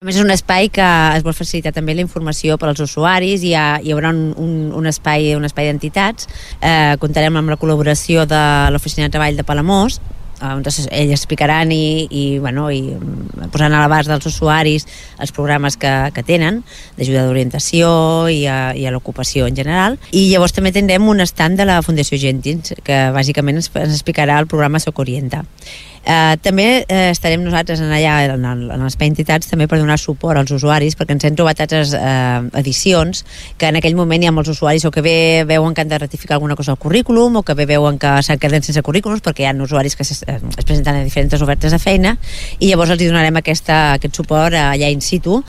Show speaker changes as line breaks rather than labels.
A més, és un espai que es vol facilitar també la informació per als usuaris. Hi haurà un espai d'entitats. Comptarem amb la col·laboració de l'Oficina de Treball de Palamós, on ells explicaran i posaran a l'abast dels usuaris els programes que tenen d'ajuda d'orientació i a l'ocupació en general. I llavors també tindrem un stand de la Fundació Gentins, que bàsicament ens explicarà el programa Soc Orienta. També estarem nosaltres allà en l'espai entitats també per donar suport als usuaris, perquè ens hem trobat altres edicions que en aquell moment hi ha molts usuaris o que bé veuen que han de ratificar alguna cosa al currículum o que bé veuen que s'han quedat sense currículums perquè hi ha usuaris que es presenten a diferents ofertes de feina, i llavors els donarem aquest suport allà in situ.